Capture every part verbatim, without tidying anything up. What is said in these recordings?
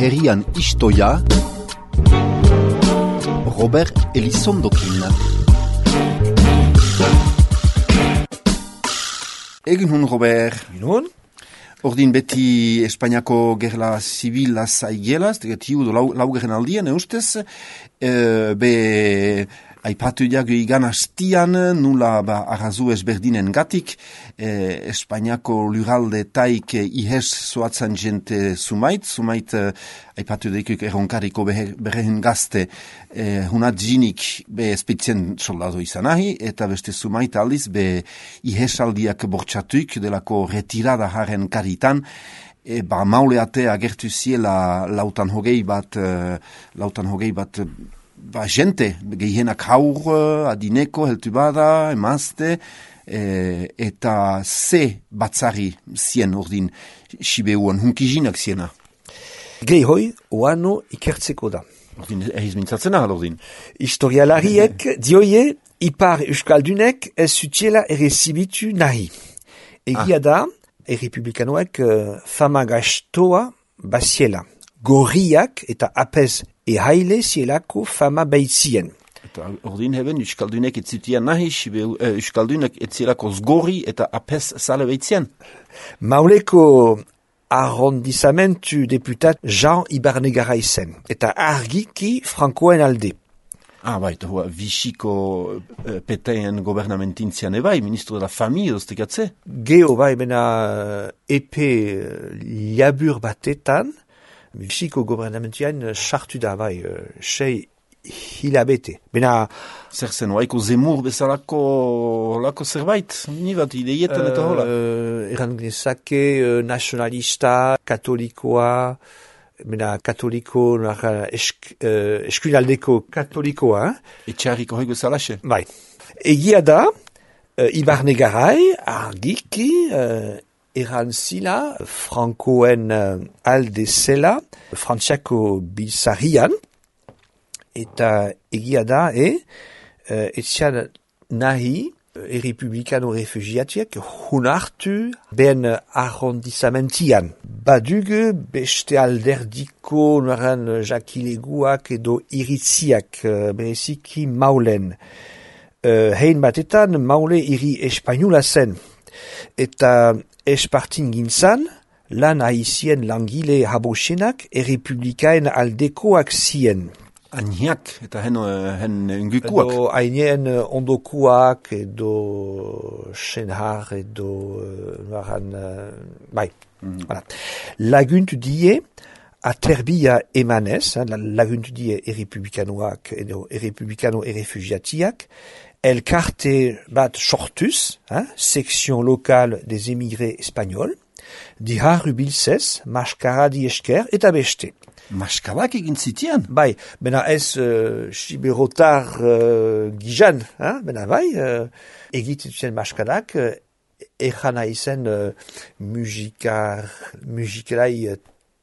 herrian istoia, Robert Elizondokin. Egin hun, Robert. Egin hun. Ordin beti Espainiako gerla zibila zaigelaz, tiu do lau, laugarren aldian, eustez, e, be aipatu jago igan hastian, nula ba, arrazu ezberdinen gatik, e, Espainiako luralde taik ihes zoatzen jente sumait, sumait e, aipatu daikuk erronkariko berrehen gazte, e, hunat jinik be espeitzen soldado izan ahi, eta beste sumait aldiz be ihesaldiak bortxatuik delako retirada haren karitan, e, ba mauleate agertu ziela lautan hogei bat, e, lautan hogei bat, ba, jente, gehienak haur, adineko, heltu bada, emazte, e, eta ze batzari zien ordin Sibeuan, hunkizinak ziena. Gehi hoi, oano ikertzeko da. Ordin, ehiz mintzatzen ahal ordin. Historialariek dioie, ipar euskaldunek ez zutiela ere zibitu nahi. Egia ah. da, errepublikanoek uh, fama gastoa baziela. Gorriak eta apez ehaile zielako fama baitzien. Eta ordin heben, euskaldunek etzutian nahi, uh, euskaldunek etzielako zgorri eta apez zale baitzien. Mauleko arrondizamentu deputat Jean Ibarnegara izen, eta argiki frankoen alde. Ah, bai, eta hua, Vichyko uh, peteen gobernamentintzian ebai, ministro de la famille, oztekatze? Geo, bai, bena epe liabur batetan, Vichyko gobernamentian sartu da, bai, sei hilabete. Bena... Zer zen, waiko zemur bezalako lako zerbait, ni bat ideietan eta hola? Uh, eran gnezake uh, nacionalista, katolikoa, bena katoliko, esk, uh, eskuinaldeko katolikoa. Eh? Etxarriko hoi bezalaxe? Bai. Egia da, uh, Ibarnegarai, argiki, uh, eran zila, frankoen uh, alde zela, frantziako biltzarian, eta egia da, e, uh, etzian nahi, errepublikano refugiatiak hunartu ben arrondizamentian. Badugu beste alderdiko noran jakileguak edo iritziak, uh, bereziki maulen. Uh, hein batetan maule iri espainola zen. Eta espartin gintzan, lan haizien langile habosenak errepublikaen aldekoak zien. Ainiak eta hen, hen ungukuak. Edo ainien ondokuak, edo senhar, edo noran, bai. Mm-hmm. Voilà. Laguntu die, aterbia emanez, laguntu die errepublikanoak, edo errepublikano errefugiatiak, elkarte bat sortuz, hein, section locale des émigrés espagnols, dihar ubilzez, maskaradi esker eta beste. Maskadak egin zitian? Bai, bena ez uh, siberotar uh, gizan, hein? Bena bai, uh, egiten maskadak, uh, ejan aizen uh, musikar, musikalai uh,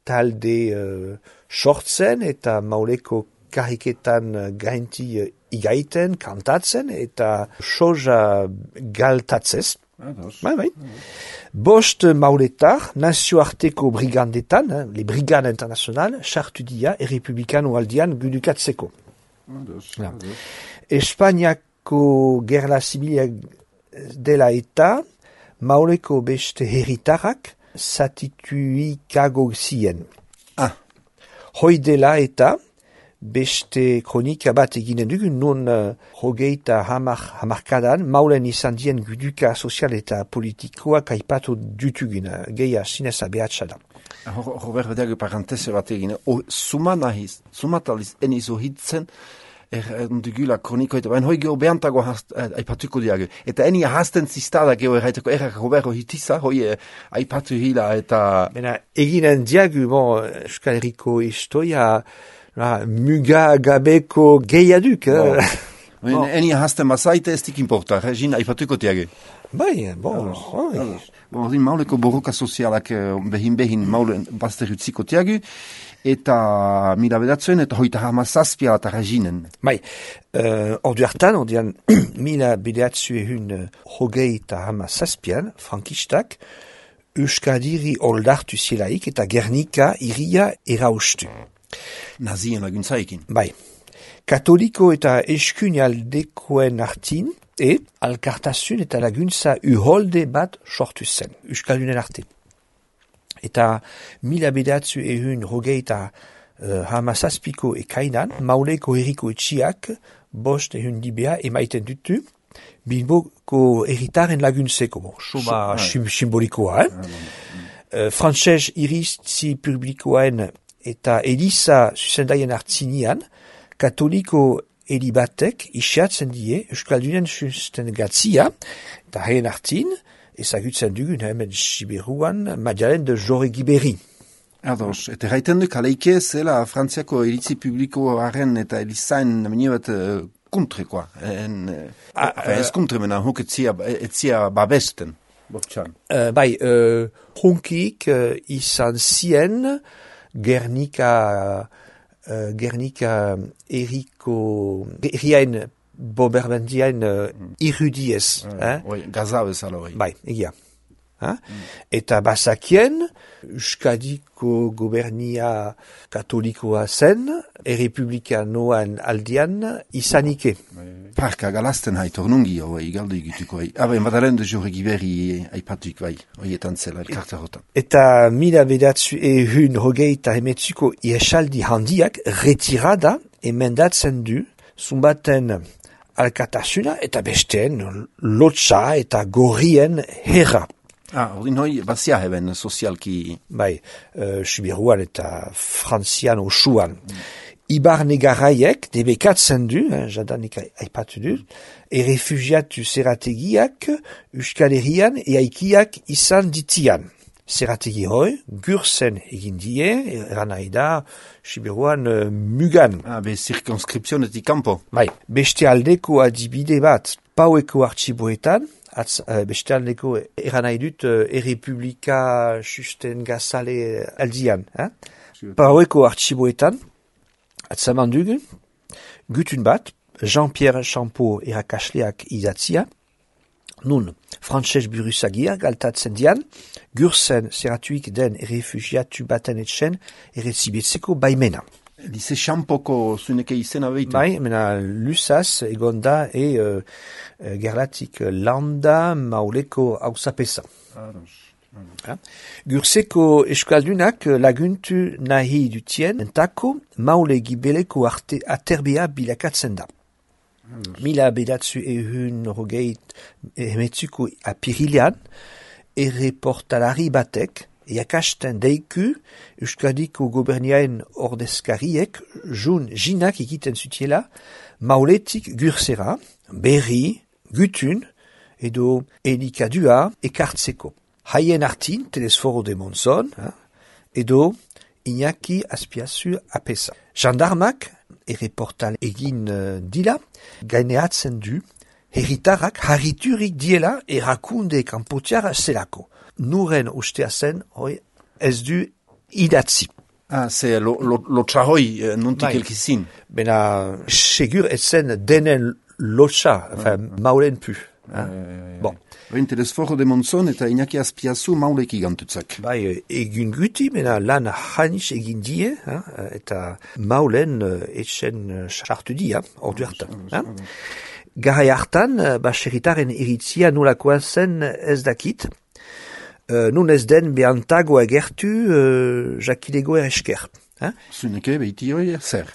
talde uh, sortzen eta mauleko kariketan uh, gainti uh, igaiten, kantatzen eta soja galtatzez. Bai, bai. Bost mauletar, nazioarteko brigandetan, hein, les brigades internationales, sartu dia errepublikano aldian gudukatzeko. Ja. Espainiako gerla zibilia dela eta mauleko beste herritarrak zatituikago zien. Ah. Hoi dela eta beste kronika bat eginen dugun, non uh, hogeita hamar, hamarkadan, maulen izan dien guduka sozial eta politikoak aipatu dutugin, uh, geia zinez abeatsa da. Robert, bedeago parantese bat egin, oh, suman ahiz, sumataliz enizo hitzen, er, dugula kroniko eta bain hoi geho behantago aipatuko diago. Eta eni ahazten ziztada geho erraiteko errak Roberto hitiza, hoi aipatu hila eta... Bena, eginen diago, bon, Euskal Herriko historia... Ah, muga gabeko gehiaduk. Bon. Bon. Eni ahazten bazaite ez dik importa, regin aipatuko tiage. Bai, bon. Bon, bon mauleko borroka sozialak behin-behin maulen bazterutziko tiage, eta mila bedatzen eta hoita hama zazpia eta reginen. Bai, uh, ordu hartan, ordean mila bedatzu ehun hogei eta hama zazpian, frankistak, Euskadiri oldartu zielaik eta Gernika iria eraustu. Nazien laguntzaikin. Bai. Katoliko eta eskuinaldekoen artin, e alkartasun eta laguntza uholde bat sortu zen, Euskaldunen arte. Eta mila bedatzu ehun rogeita uh, hamazazpiko ekainan, Mauleko herriko etxiak bost ehun dibea emaiten dutu, Bilboko erritaren laguntzeko, bon, soma sim simbolikoa, eh? uh, Frantses iritzi publikoen eta Eliza zuzendaien hartzinian, katoliko elibatek isiatzen die Euskaldunen sustengatzia, eta haien hartin, ezagutzen dugun hemen Siberuan, Madalen de Joregi berri. Ados, eta gaiten du kaleike zela Frantziako iritzi publikoaren eta Elizaen namine bat uh, kuntrekoa. En, uh, ez kuntre mena, huk etzia, etzia babesten. Uh, bai, uh, hunkik uh, izan zien Gernika... Uh, Gernika eriko erriain boberbendiain uh, mm. irudiez. Mm. Eh? Oui, gaza bezala hori. Bai, egia. Mm. Eta bazakien, Euskadiko gobernia katolikoa zen, errepublikanoan aldian izanike. Parka galazten hait, ornungi hori, galdu egituko hai. Aben, badalen de Joregi berri aipatuik bai, horietan zela, elkarta hotan. Eta mila bedatzu ehun hogeita emetzuko iesaldi handiak retirada emendatzen du zumbaten alkatasuna eta besteen lotsa eta gorrien herra. Ah, ordin hoi, bazia heben sozialki... Bai, uh, Sibiruan eta Frantzian osuan. Mm. Ibarne garaiek debekatzen du, eh, jadanik aipatu du, errefugiatu zerategiak Euskal Herrian eaikiak izan ditian. Zerategi hoi, gurzen egin die, eran nahi da, Sibiruan uh, mugan. Ah, be circonscripzionetik kampo. Bai, beste aldeko adibide bat, paueko artxiboetan, Atz, uh, beste aldeko eran nahi dut uh, errepublika susten gazale aldian. Eh? Paueko artxiboetan, atzaman dugu, gutun bat, Jean-Pierre Champeau erakasleak idatzia, nun, frantses buruzagiak galtatzen dian, gurzen zeratuik den errefugiatu baten etxen errezibetzeko baimena. Dice Champoko zuneke izena behitu? Bai, mena lusaz egonda e uh, gerlatik landa mauleko hausapesa. Ados. Ja? Gurseko eskaldunak laguntu nahi dutien entako maule gibeleko arte aterbea bilakatzen da. Ados. Mila bedatzu ehun rogeit emetzuko apirilean erreportalari batek Iakasten deiku Euskadiko goberniaen ordezkariek jun jinak egiten zutiela mauletik gursera, berri, gutun edo elikadua ekartzeko. Haien artin telesforo de Monzon edo Iñaki Azpiazu apesa. Jandarmak erreportal egin uh, dila gaineatzen du herritarrak harriturik diela erakunde kanpotiara zelako. Nuren ustea zen, hoi, ez du idatzi. Ah, ze lo, lo, lotsa hoi, nuntik elkizin. Bena, segur ez zen denen lotsa, enfin, ah, maulen pu. Ah, ah, ah, bon. Bain telesforo de Monzon eta Iñaki Azpiazu maulek igantutzak. Bai, egin guti, bena lan hanis egin die, ah, eta maulen etxen sartu dia, ordu hartan. Ah, Garai hartan, baserritaren iritzia nolakoan zen ez dakit, Uh, nun ez den behantago agertu uh, jakilego eresker. Eh? Zuneke behiti hori zer.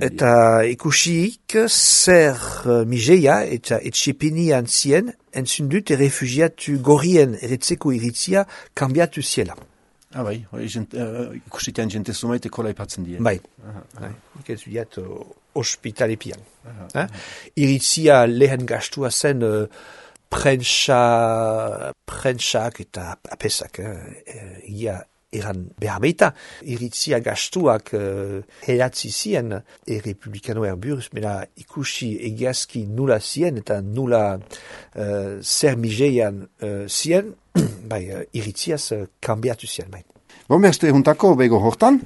Eta ikusik zer uh, migeia eta etxepini antzien entzundut errefugiatu gorrien eretzeko iritzia kambiatu ziela. Ah bai, uh, ikusitean jente zumaite kola ipatzen dien. Bai, nik ez diat uh, ospitalepian. Eh? Iritzia lehen gastua zen... Uh, Prentsa, prentsak eta apesak, eh, ia eran behar beita. Iritzia gastuak eh, helatzi zien errepublikanoer buruz, mena ikusi egiazki nula zien eta nula eh, zer migeian eh, zien, bai, iritziaz eh, kambiatu zien, bai. Bon, beste juntako bego hortan.